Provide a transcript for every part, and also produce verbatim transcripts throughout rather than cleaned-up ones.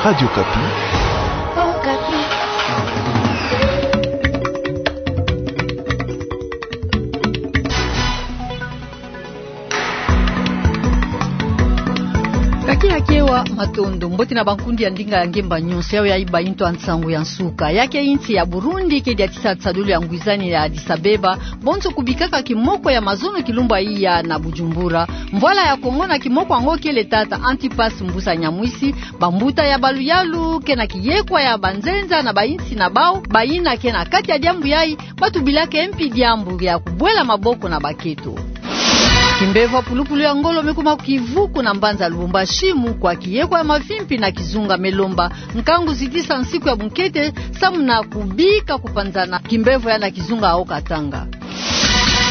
Radio Okapi. Kake ya kewa, matondo. Mbote na bankundi ya ndinga ya ngemba nyonso, yayo yayi bayintu ya nsangu ya nsuka. Yake insi ya Burundi ke diatisa tsadulu ya ngwizani ya Addis Abeba, bonso kubikaka kimoko ya mazono kilumbu iya na Bujumbura. Mvwala ya Kongo na kimoko yango kele tata Antipas Mbusa Nyamwisi, bambuta ya baluyalu ke na kiyekwa ya banzenza na bayinsi na bawu, bayina ke na kati ya diambu yayi, batubilaka mpi diambu ya kubwela maboko na baketo. Kimbevo ya pulupulu ya ngolo me kuma kivuku na mbanza Lubumbashi, mu kwa kiyekwa ya mavimpi na kizunga me lomba nkangu zitisa nsiku ya bunkete, samu na kubika kupanzana kimbevo ya na kizunga Haut-Katanga.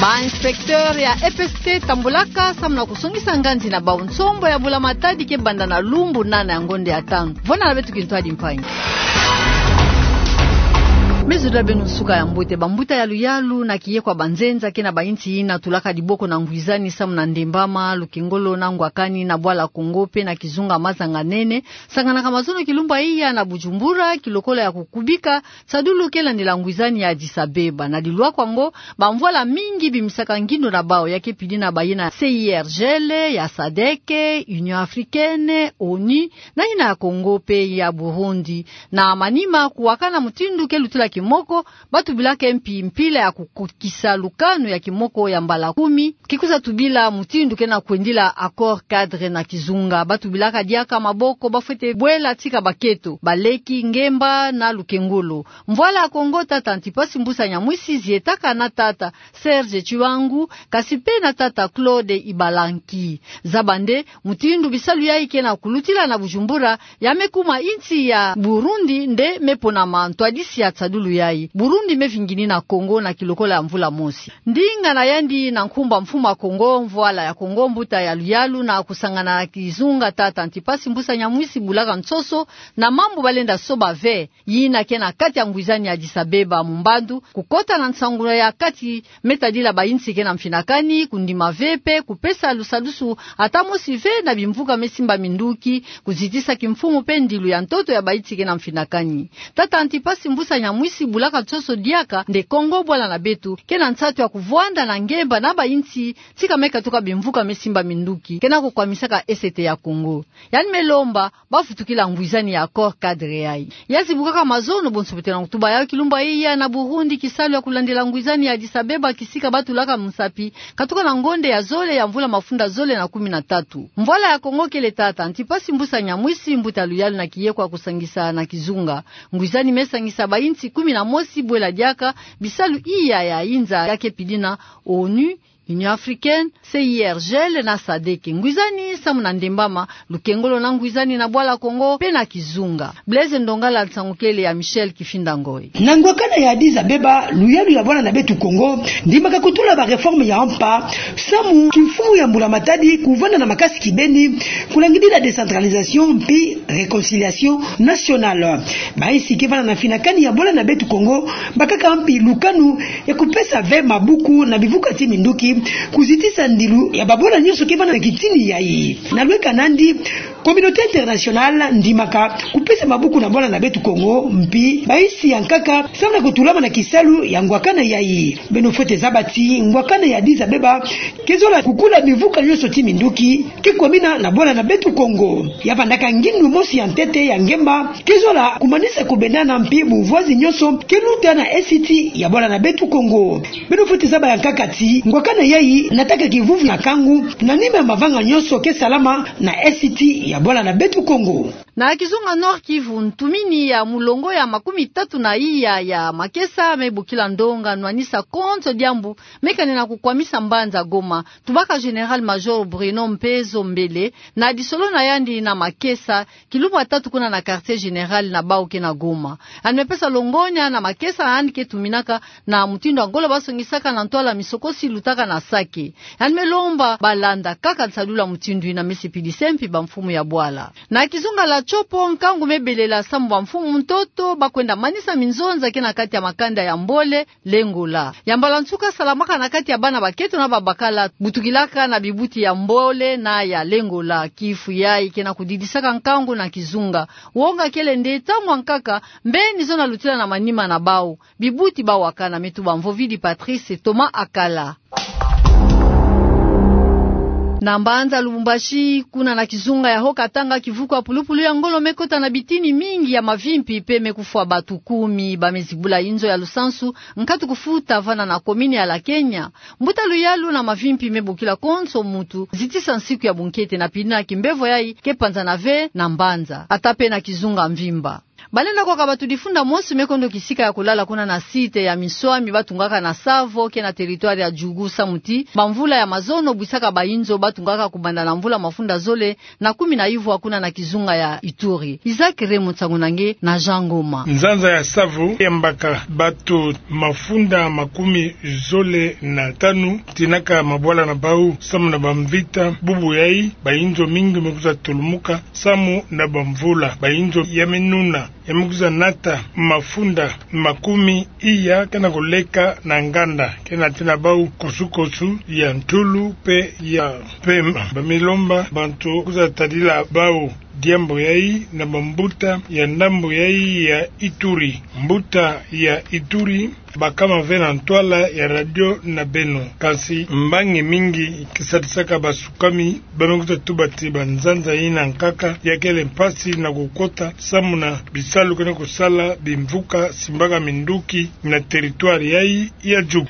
Ba inspecteur ya E P S T tambulaka samu na kusongisa nganzi na bawu nsombo ya bula matadi ke banda na lumbu nana ya ngonde ya tanu. Vwanda na beto kintwadi mpangi. Me zodila beno nsuka ya mbote. Bambuta ya luyalu na kiyekwa banzenza ke na bayinsi yina tulaka diboko na ngwizani samu na Ndembama, Lukengolo na Ngwakani na Bwala Kongo mpe na kizunga Mazanga Nene, sanganaka mazono kilumbu iya na Bujumbura, kilokola ya kukubika tsadulu ke landila ngwizani ya Addis Abeba. Na dilwakwa yango, bamvwala mingi bimisaka ngindo na bawu, yake pidi na bayina C I R G L, ya sadec, Union Africaine, onu, na yina ya Kongo mpe ya Burundi. Na manima kuwakana mutindu ke lutila kimoko, batubilaka mpi mpila ya kukukisa lukanu ya kimoko ya mbala kumi, kikwiza tubila mutindu ke na kwendila accord cadre na kizunga. Batubilaka diaka maboko bafwete bwela tika baketo, baleki, ngemba na lukengolo. Mvwala ya Kongo, tata Antipas Mbusa Nyamwisi zietaka na tata Serge Tshiwangu, kasi mpe na tata Claude Ibalanki. Zaba nde, mutindu bisalu yayi ke na kulutila na Bujumbura, ya me kuma insi ya Burundi nde me ponama ntwadisi ya tsadulu yayi. Burundi me vingini na Kongo na kilokola ya mvula mosi. Ndinga na yandi na nkumbu a mfumu a Kongo, mvwala ya Kongo, mbuta ya luyalu na kusangana na kizunga tata Antipas Mbusa Nyamwisi bulaka nsoso na mambu balenda soba ve, yina ke na kati ya ngwizani ya Addis Abeba mu mbandu, kukota na nsangu ya kati me tadila bayinsi ke na mfinakani, kundima ve mpe kupesa lusadusu ata mosi ve na bimvuka me simba minduki, kuzitisa kimfumu mpe ndilu ya ntoto ya bayinsi ke na mfinakani. Tata Antipas Mbusa Nyamwisi bulaka nsoso diaka nde Kongo bwala na beto ke na nsatu ya kuvwanda na ngemba na bayinsi tika me katuka bimvuka me simba minduki ke na kukwamisaka S T ya Kongo. Yandi me lomba bafutukila ngwizani ya accord cadre yayi. Ya zibukaka mazono bonso beto na kutuba yayo kilumbu iya na Burundi, kisalu ya kulandila ngwizani ya Addis Abeba kisika batulaka musapi, katuka na ngonde ya zole ya mvula mafunda zole na kumi na tatu. Mvwala ya Kongo kele tata Antipas Mbusa Nyamwisi, mbuta luyalu na kiyekwa kusangisa na kizunga. Ngwizani me sangisa bayinsi kumi na mosi bwela diaka bisalu iya ya inza, yake pidi na onu, Union Africaine, C I R G L na sadec. Ngwizani samu na Ndembama, Lukengolo na ngwizani na Bwala Kongo mpe na kizunga. Blaise Ndongala, nsangu kele ya Michel Kifinda Ngoy. Na ngwakana ya Addis Abeba, luyalu ya bwala na beto Kongo ndimaka kutula ba réforme ya mpa, samu kimfumu ya mbula matadi kuvanda na makasi kibeni, kulangidila décentralisation mpe réconciliation nationale. Bayinsi ke vanda na mfinakani ya bwala na beto Kongo bakaka mpi lukanu ya kupesa ve mabuku na bivuka ti minduki, kuzitisa ndilu ya babwala nyonso ke vanda na kitini yayi. Na lweka nandi, communauté internationale ndimaka kupesa mabuku na bwala na beto Kongo, mpi bayinsi ya nkaka samu na kutulama na kisalu ya ngwakana yayi. Beno fwete zaba ti ngwakana ya Addis Abeba ke zola kukula bivuka nyonso ti minduki ke kwamina na bwala na beto Kongo. Ya vandaka ngindu mosi ya ntete ya ngemba ke zola kumanisa kubendana mpi bumvwazi nyonso ke luta na esti ya bwala na beto Kongo. Beno fwete zaba ya nkaka ti ngwakana yayi nataka kivuvu ya nkangu na nima ya mavanga nyonso ke salama na esti ya bwala na beto Kongo. Na kizunga Nord-Kivu, ntumini ya mulongo ya makumi tatu na iya ya makesa me bokila ndonga nwanisa konso diambu me kanena kukwamisa mbanza Goma. Tubaka Général-Major Bruno Mpezo Mbele na disolo na yandi na makesa, kilumbu ya tatu kuna na quartier général na bawu ke na Goma. Yandi me pesa longonya na makesa yandi ke tuminaka na mutindu ya ngolo basongisaka na ntwala misokosi lutaka na Sake. Yandi me lomba balanda kaka nsadulu ya mutindu yina. Me sipilisa mpi bamfumu ya bwala. Na kizunga ya Tshopo, nkangu me belela samu bamfumu ntoto bakwenda manisa minzonza ke na kati ya makanda ya Mbole, Lengola. Ya mbala nsuka salamaka na kati ya bana baketo na babakala, butukilaka na bibuti ya Mbole na ya Lengola. Kifu yayi ke na kudidisaka nkangu na kizunga. Wonga kele nde ntangu ya nkaka, mbeni zo na lutila na manima na bawu. Bibuti bawakana. Me tuba mvovidi Patrice Thomas Akala. Na mbanza Lubumbashi, kuna na kizunga ya Haut-Katanga, kivuku ya pulupulu ya ngolo me kota na bitini mingi ya mavimpi mpe me kufwa batu kumi. Ba me zibula inzo ya lusansu, nkatu kufuta vana na komini ya Lakenya. Mbuta luyalu na mavimpi me bokila konso mutu, zitisa nsiku ya bunkete na pina kimbevo yayi ke panzana ve na mbanza, ata mpe na kizunga mvimba. Balenda kwaka batu difunda mosi me kondo kisika ya kulala kuna na site ya minswami batungaka na Tsavo ke na territoire ya Djugu, samu ti bamvula ya mazono bwisaka bainzo batungaka kubanda na mvula mafunda zole na kumi na ivwa kuna na kizunga ya Ituri. Isaac Remo, nsangu na nge na Jean Ngoma. Nzanza ya Tsavo yambaka batu mafunda makumi zole na tanu, tinaka mabwala na bawu samu na bamvita. Bubu yayi, bainzo mingi me kwiza tulumuka samu na bamvula. Bainzo ya me nuna, ya me kwiza nata mafunda makumi iya ke na kuleka na nganda, ke na tina bawu kosukosu ya ntulu mpe ya mpemba. Ba me lomba bantu kwiza tadila bawu diambu yayi na bambuta ya ndambu yayi ya Ituri. Mbuta ya Ituri bakama ve na ntwala ya radio na beno. Kansi mbangi mingi ke sadisaka basukami, ba me kwiza tuba ti banzanza yina nkaka ya kele mpasi na kukota samu na bisalu ke na kusala bimvuka simbaka minduki na territoire yayi ya Djugu.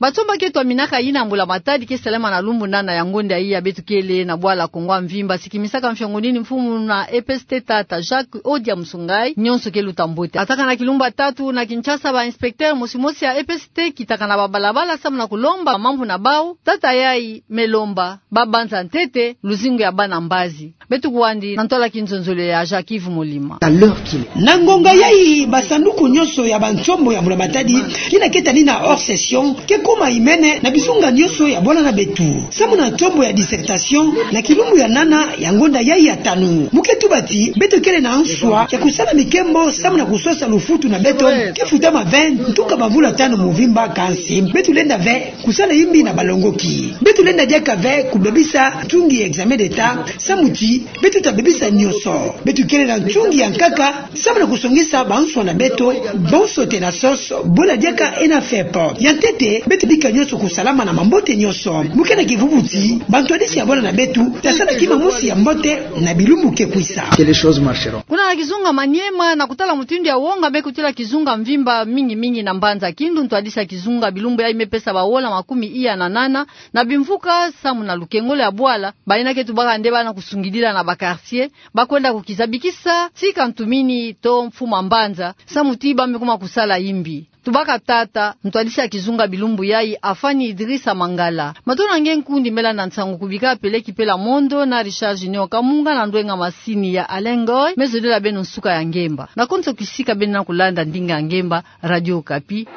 Batsomba ke twaminaka yina mbula-matadi ke salama na lumbu nana ya ngonda iya, beto kele na bwala Kongo mvimba, sikimisaka mfiongo nini mfumu na E P S T tata Jacques Odia Musungai, nyonso ke luta mbote. Ataka na kilumbu ya tatu na Kinshasa, ba inspecteur mosi mosi ya E P S T kitaka na babalabala samu na kulomba mambu na bawu. Tata yayi me lomba babanza ntete luzingu ya bana mbazi. Beto kwandi na ntwala kinzonzolo ya Jacques Yves Molima. Na ngonga yayi, basanduku nyonso ya bansombo ya mbula-matadi yina ke tani na hors session ke kuma imene na bizunga nyonso ya bwala na beto, samu na nsombo ya dissertation na kilumbu ya nana ya ngonda yayi ya tanu. Mu ke tuba ti beto kele na nswa ya kusala mikembo samu na kusosa lufutu na beto ke futama ve ntuka bamvula tanu mvimba. Kansi beto lenda ve kusala yimbi na balongoki. Beto lenda diaka ve kubebisa ntungi ya examen d'État, samu ti beto ta bebisa nyonso. Beto kele na ntungi ya nkaka samu na kusongisa banswa na beto, bonso tena sosa bwala diaka ena FEP. Ya ntete, beto bika nyonso kusalama na mambote nyonso. Mu ke na kivuvu ti bantwadisi ya bwala na beto ta sala kima mosi ya mbote na bilumbu ke kwisa. Kuna na kizunga Maniema, na kutala mutindu ya wonga me kutila kizunga mvimba, mingi mingi na mbanza Kindu, ntwadisi ya kizunga bilumbu yayi me pesa bawola makumi iya na nana na bimvuka samu na lukengolo ya bwala. Bayina ke tubaka nde bana kusungidila na ba quartier, bakwenda kukiza bikisa tika ntumini to mfumu a mbanza, samu ti ba me kuma kusala yimbi. Tubaka tata ntwadisi ya kizunga bilumbu yayi, Afani Idrissa Mangala. Matondo na nge nkundi me landa nsangu kubika peleki pela mondo na Richard Junior Kamunga, na ndwenga masini ya Alain Ngoy. Me zolela beno nsuka ya ngemba. Na konso kisika beno na kulanda ndinga ya ngemba, Radio Okapi.